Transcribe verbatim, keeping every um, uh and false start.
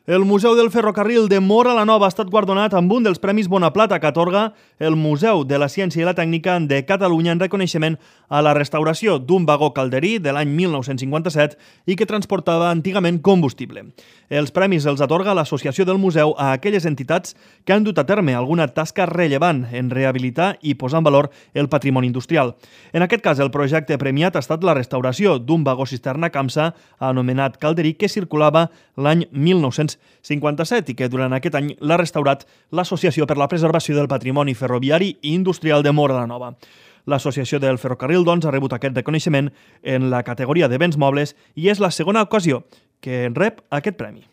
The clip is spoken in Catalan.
El Museu del Ferrocarril de Móra la Nova ha estat guardonat amb un dels Premis Bonaplata que atorga el Museu de la Ciència i la Tècnica de Catalunya en reconeixement a la restauració d'un vagó calderí de l'any mil nou-cents cinquanta-set i que transportava antigament combustible. Els premis els atorga l'Associació del Museu a aquelles entitats que han dut a terme alguna tasca rellevant en rehabilitar i posar en valor el patrimoni industrial. En aquest cas, el projecte premiat ha estat la restauració d'un vagó cisterna Camsa anomenat calderí que circulava l'any mil nou-cents cinquanta-set i que durant aquest any l'ha restaurat l'Associació per la Preservació del Patrimoni Ferroviari i Industrial de Móra la Nova. L'Associació del Ferrocarril, doncs, ha rebut aquest reconeixement en la categoria de béns mobles i és la segona ocasió que rep aquest premi.